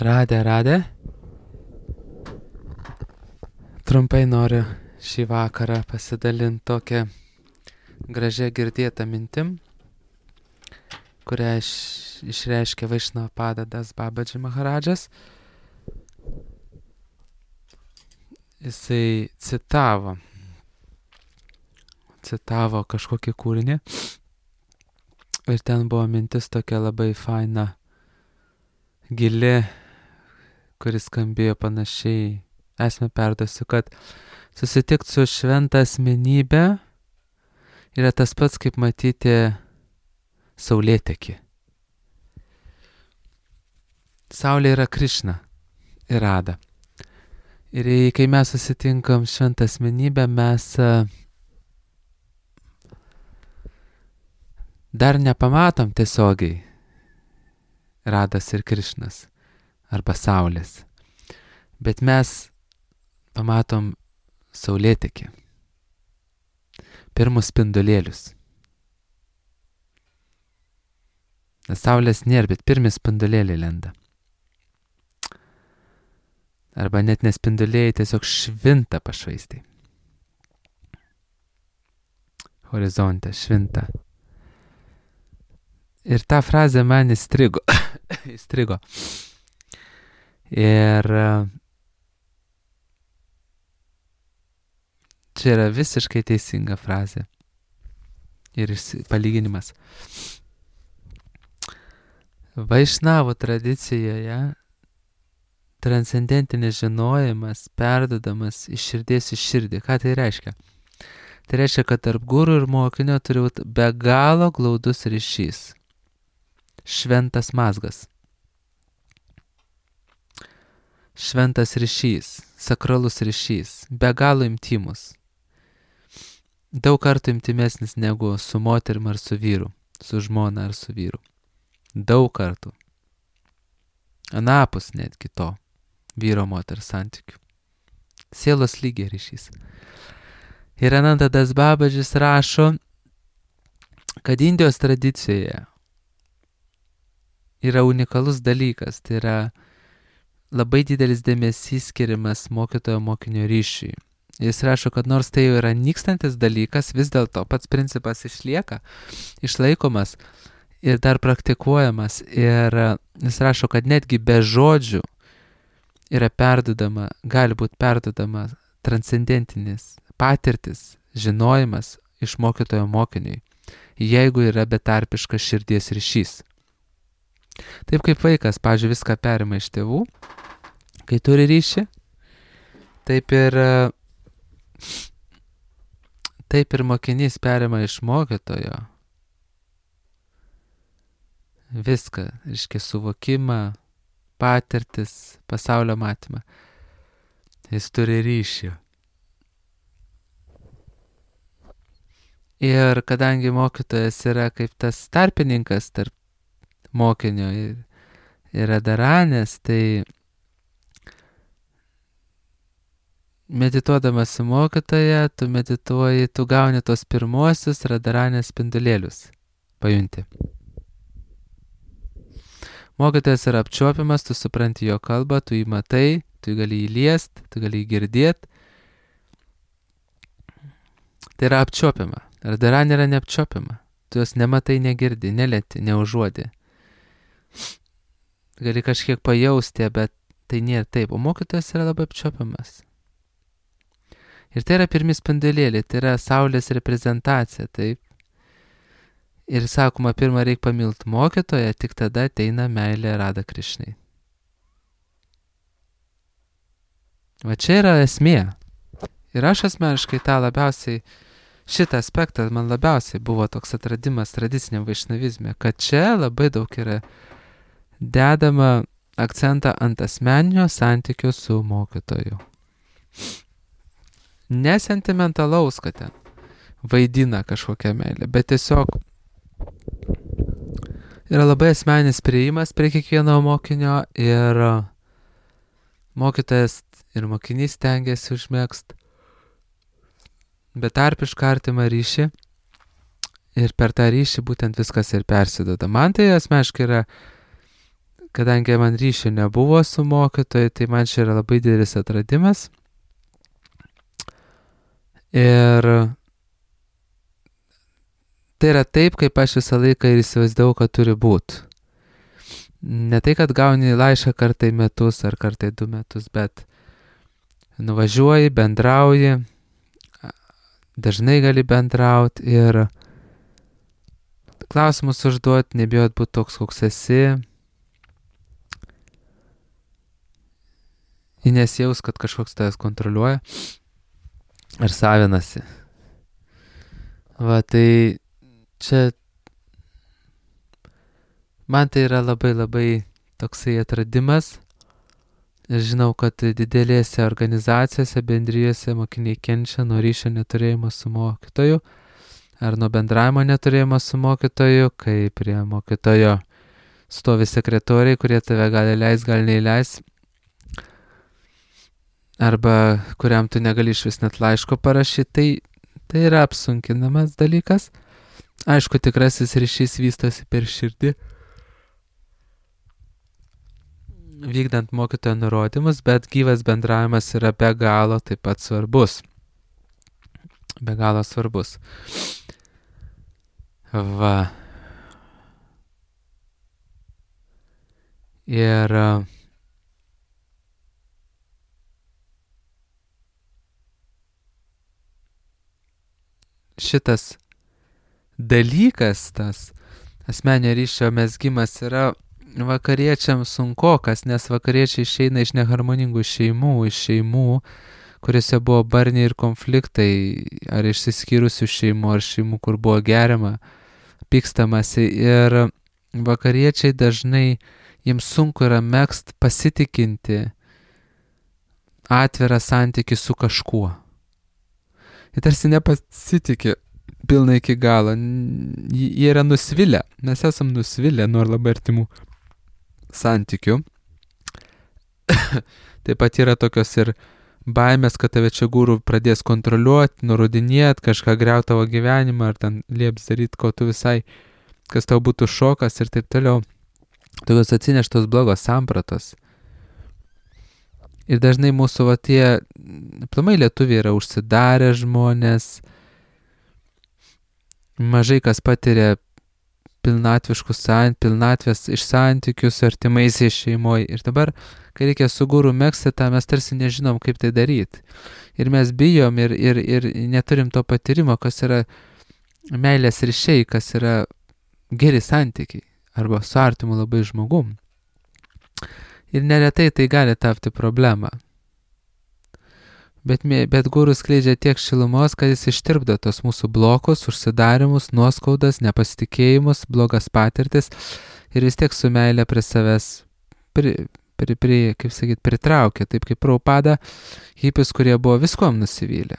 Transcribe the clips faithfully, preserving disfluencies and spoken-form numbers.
Radė, radė. Trumpai noriu šį vakarą pasidalinti tokią gražią girdėtą mintim, kurią iš, išreiškė Vaišnava Das Babaji Maharadžas. Jisai citavo, citavo kažkokį kūrinį ir ten buvo mintis tokia labai faina, gili, kuris skambėjo panašiai. Esmę perduosiu, kad susitikti su šventa asmenybė yra tas pats, kaip matyti saulėtekį. Saulė yra Krišna ir Rada. Ir kai mes susitinkam šventą asmenybę, mes dar nepamatom tiesiogiai Radas ir Krišnas arba Saulės. Bet mes pamatom saulėtekį, pirmus spindulėlius. Nes Saulės nėra, bet pirmi spindulėliai lenda. Arba net nespindulėjai, tiesiog švinta pašvaistai. Horizonte švinta. Ir ta frazė man įstrigo. įstrigo. Ir čia yra visiškai teisinga frazė ir palyginimas. Vaišnavų tradicijoje transcendentinis žinojimas perduodamas iš širdies į širdį. Ką tai reiškia? Tai reiškia, kad tarp guru ir mokinio turi būti be galo glaudus ryšys. Šventas mazgas. Šventas ryšys, sakralus ryšys, be galo intymus. Daug kartų intimesnis negu su moterim ar su vyru, su žmona ar su vyru. Daug kartų. Anapus netgi to vyro moters santykių. Sielos lygiai ryšys. Ir Ananda Das Babadžis rašo, kad Indijos tradicijoje yra unikalus dalykas, tai yra labai didelis dėmesys skiriamas mokytojo mokinio ryšiui. Jis rašo, kad nors tai jau yra nykstantis dalykas, vis dėlto pats principas išlieka, išlaikomas ir dar praktikuojamas. Ir jis rašo, kad netgi be žodžių yra perdudama, gali būti perdudama transcendentinis patirtis, žinojimas iš mokytojo mokiniui, jeigu yra betarpiškas širdies ryšys. Taip kaip vaikas, pavyzdžiui, viską perima iš tėvų, kai turi ryšį, taip ir, taip ir mokinys perima iš mokytojo viską, reiškia suvokimą, patirtis, pasaulio matymą. Jis turi ryšį. Ir kadangi mokytojas yra kaip tas tarpininkas tarp mokinio ir, ir Radharanės, tai medituodamas su mokytoja, tu medituoji, tu gauni tos pirmuosius Radharanės spindulėlius. Pajunti. Mokytojas yra apčiuopiamas, tu supranti jo kalbą, tu jį matai, tu gali jį liest, tu gali jį girdėt. Tai yra apčiuopiama. Radharanė yra neapčiuopiama. Tu jos nematai, negirdi, nelieti, neužuodi. Gali kažkiek pajausti, bet tai nėra taip. O mokytojas yra labai apčiuopiamas. Ir tai yra pirmi spindulėliai, tai yra saulės reprezentacija, taip. Ir sakoma, pirmą reikia pamilti mokytoją, tik tada ateina meilė Rada Krišnai. Va čia yra esmė. Ir aš asmeniškai tą labiausiai, šitą aspektą man labiausiai buvo toks atradimas tradiciniam vaišnavizme, kad čia labai daug yra dedama akcentą ant asmeninio santykio su mokytoju. Nesentimentalaus, kad ten vaidina kažkokią meilę, bet tiesiog yra labai asmeninis priėjimas prie kiekvieno mokinio ir mokytojas ir mokinys stengiasi užmėgst betarpišką artimą ryšį ir per tą ryšį būtent viskas ir persiduoda. Man tai asmeniškai yra kadangi man ryšio nebuvo su mokytoju, tai man čia yra labai didelis atradimas. Ir tai yra taip, kaip aš visą laiką ir įsivaizdavau, kad turi būti. Ne tai, kad gauni laišką kartą į metus ar kartą į du metus, bet nuvažiuoji, bendrauji, dažnai gali bendrauti ir klausimus užduoti, nebijot būti toks, koks esi. Ir nesijaus, kad kažkoks tavęs kontroliuoja ar savinasi. Va, tai čia man tai yra labai labai toksai atradimas. Ir žinau, kad didelėse organizacijose, bendrijose mokiniai kenčia nuo ryšio neturėjimo su mokytoju ar nuo bendravimo neturėjimo su mokytoju, kai prie mokytojo stovi sekretoriai, kurie tave gali leis, gali neįleis, arba kuriam tu negali iš vis net laiško parašyti, tai, tai yra apsunkinamas dalykas. Aišku, tikrasis ryšys vystosi per širdį, vykdant mokytojo nurodymus, bet gyvas bendravimas yra be galo taip pat svarbus. Be galo svarbus. Va. Ir šitas dalykas, tas asmeninio ryšio mezgimas yra vakariečiams sunkokas, nes vakariečiai išeina iš neharmoningų šeimų, iš šeimų, kuriuose buvo barniai ir konfliktai, ar išsiskyrusių šeimų, ar šeimų, kur buvo geriama, pykstamasi. Ir vakariečiai dažnai, jiems sunku yra megzt pasitikinti atvirą santykį su kažkuo. Jie tarsi nepasitikė pilnai iki galo. Jie yra nusvilę. Mes esam nusvilę nuo labai artimų santykių. Taip pat yra tokios ir baimės, kad tave čia gūrų pradės kontroliuoti, nurodinėti, kažką griauti tavo gyvenimą, ar ten lieps daryti, ko tu visai, kas tau būtų šokas ir taip toliau. Tokios atsineštos blogos sampratos. Ir dažnai mūsų va tie, aplamai lietuviai yra užsidarę žmonės, mažai kas patiria pilnatviškus sant, pilnatvės iš santykių su artimaisiais šeimoje. Ir dabar, kai reikia su guru megzti tą, mes tarsi nežinom, kaip tai daryti. Ir mes bijom ir, ir, ir neturim to patyrimo, kas yra meilės ryšiai, kas yra geri santykiai arba su artimu labai žmogum. Ir neretai tai gali tapti problema. Bet, bet gurus skleidžia tiek šilumos, kad jis ištirpdo tos mūsų blokus, užsidarimus, nuoskaudas, nepasitikėjimus, blogas patirtis ir vis tiek su meilė prie savęs, pri, pri, pri, kaip sakyt, pritraukia, taip kaip Prabhupada, hipis, kurie buvo viskuom nusivylę.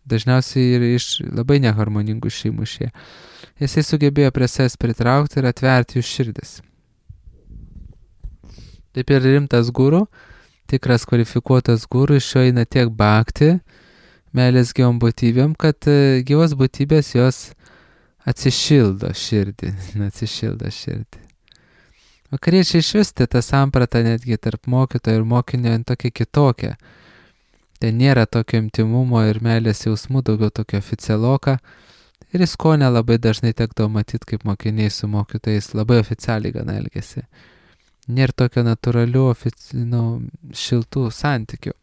Dažniausiai ir iš labai neharmoningų šeimų šie. Jisai sugebėjo prie savęs pritraukti ir atverti jų širdis. Taip ir rimtas guru, tikras kvalifikuotas guru, iš jo eina tiek bhakti, meilės gyvom būtybėm, kad gyvos būtybės jos atsišildo širdį, atsišildo širdį. Vakariečiai išvisti tą sampratą netgi tarp mokytojo ir mokinio tokia kitokia. Tai nėra tokio intimumo ir meilės jausmų, daugiau tokio oficialoka. Ir jis ko nelabai dažnai tekdavo matyti, kaip mokiniai su mokytojais labai oficialiai gana elgesi. Nėra tokio natūralių, ofici, nu, šiltų santykių.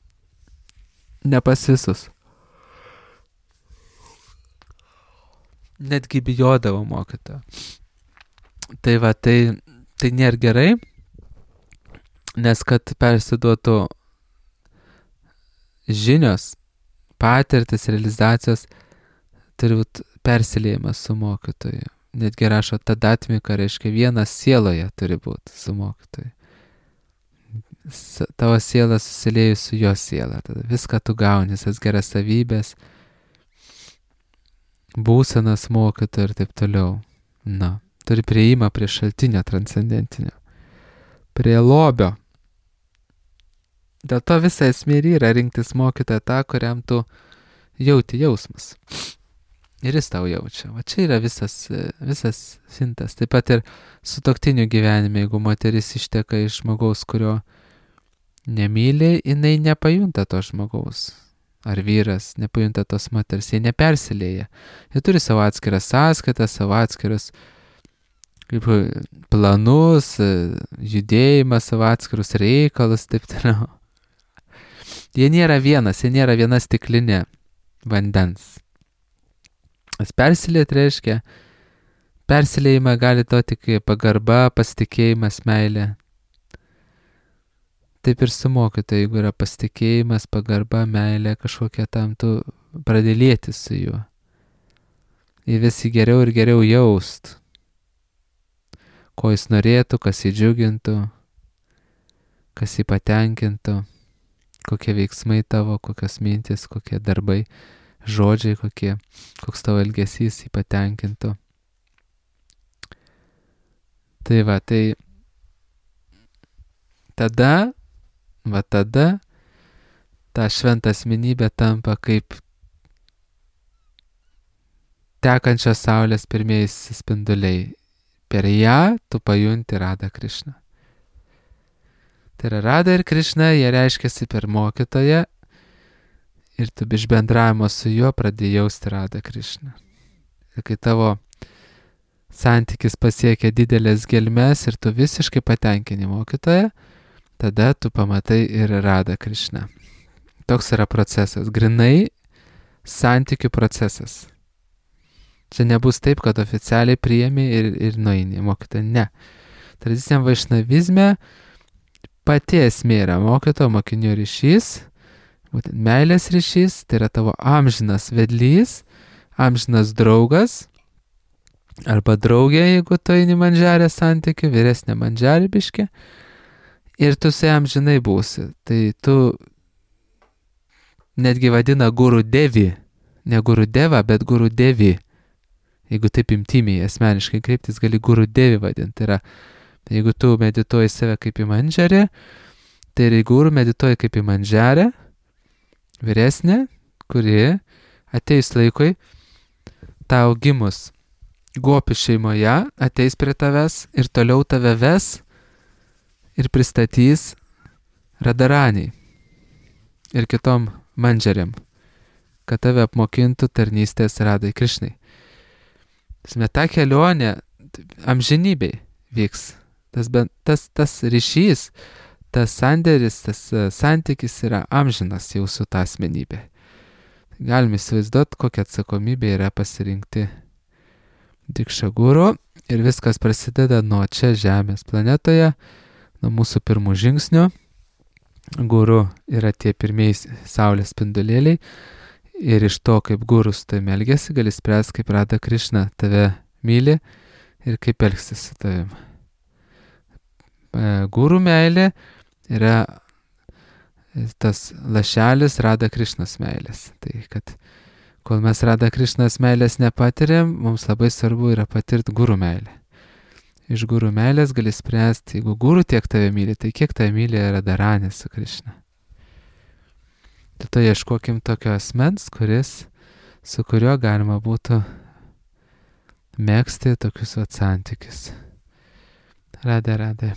Ne pas visus. Netgi bijodavo mokytojo. Tai va, tai, tai nėra gerai, nes kad persiduotų žinios, patirtis, realizacijos, turi būti persiliejimas su mokytoju. Netgi rašo tadatmika, reiškia vienas sieloje turi būti su mokytoju. Tavo siela susiliejus su jo siela. Tada viską tu gauni, visas geras savybės, būsenas mokytojo ir taip toliau. Na, turi prieimą prie šaltinio transcendentinio. Prie lobio. Dėl to visa esmė yra rinktis mokytoją tą, kuriam tu jauti jausmas. ir jis tau jaučia. Va čia yra visas, visas sintas. Taip pat ir sutuoktinių gyvenime, jeigu moteris išteka iš žmogaus, kurio nemyli, jinai nepajunta to žmogaus. Ar vyras nepajunta tos moters, jie nepersilėja. Jie turi savo atskirą sąskaitą, savo atskirus kaip planus, judėjimą, savo atskirus reikalus, taip toliau. Jie nėra vienas, jie nėra viena stiklinė vandens. Tas persilėt reiškia, persilėjimą gali to tik pagarba, pasitikėjimas, meilė. Taip ir su mokytoju, jeigu yra pasitikėjimas, pagarba, meilė, kažkokia tam, tu pradėlėti su juo. Ir visi geriau ir geriau jaust, ko jis norėtų, kas jį džiugintų, kas jį patenkintų, kokie veiksmai tavo, kokios mintis, kokie darbai, žodžiai, kokie, koks tavo elgesys jį patenkintų. Tai va, tai tada, va tada, ta šventa asmenybė tampa kaip tekančios saulės pirmieji spinduliai. Per ją tu pajunti Radha Krišną. Tai yra Radha ir Krišna, jie reiškiasi per mokytoją ir tu iš bendravimo su juo pradėjai jausti Radha Krišną. Ir kai tavo santykis pasiekia didelės gelmes ir tu visiškai patenkini mokytoją, tada tu pamatai ir Radha Krišną. Toks yra procesas, grinai santykių procesas. Čia nebus taip, kad oficialiai priėmė ir, ir nueini mokytoją. Ne. Tradiciniam vaišnavizme pati esmė yra mokytojo mokinio ryšys, būtent meilės ryšys, tai yra tavo amžinas vedlys, amžinas draugas, arba draugė, jeigu tu eini mandžarę santykių, vyresnė mandžarė biškė, ir tu su jam žinai būsi. Tai tu netgi vadina guru devi, ne guru deva, bet guru devi. Jeigu taip imtimiai asmeniškai kreiptis, gali guru devi vadinti. Tai yra, jeigu tu medituoji save kaip į mandžarę, tai ir guru medituoji kaip į mandžarę, vyresnė, kuri ateis laikui, tau gimus gopi šeimoje, ateis prie tavęs ir toliau tave ves ir pristatys Radharaniai ir kitom mandžarėm, kad tave apmokintų tarnystės Radhai Krišnai. Ta kelionė amžinybei vyks. Tas, tas, tas ryšys, tas sandėris, tas santykis yra amžinas jau su ta asmenybė. Galime įsivaizduoti, kokia atsakomybė yra pasirinkti Dikša guru ir viskas prasideda nuo čia Žemės planetoje, nuo mūsų pirmų žingsnių. Guru yra tie pirmieji saulės spindulėliai. Ir iš to, kaip gurus tai elgiasi, gali spręsti, kaip Radha Krišna tave myli ir kaip elgsis su tavim. Guru meilė yra tas lašelis Radha Krišnos meilės. Tai kad kol mes Radha Krišnos meilės nepatiriam, mums labai svarbu yra patirti guru meilę. Iš guru meilės gali spręsti, jeigu guru tiek tave myli, tai kiek tave myli Radharani su Krišna. Tai ieškokim tokio asmens, kuris, su kuriuo galima būtų megzti tokius vat santykius. Radhe, radhe.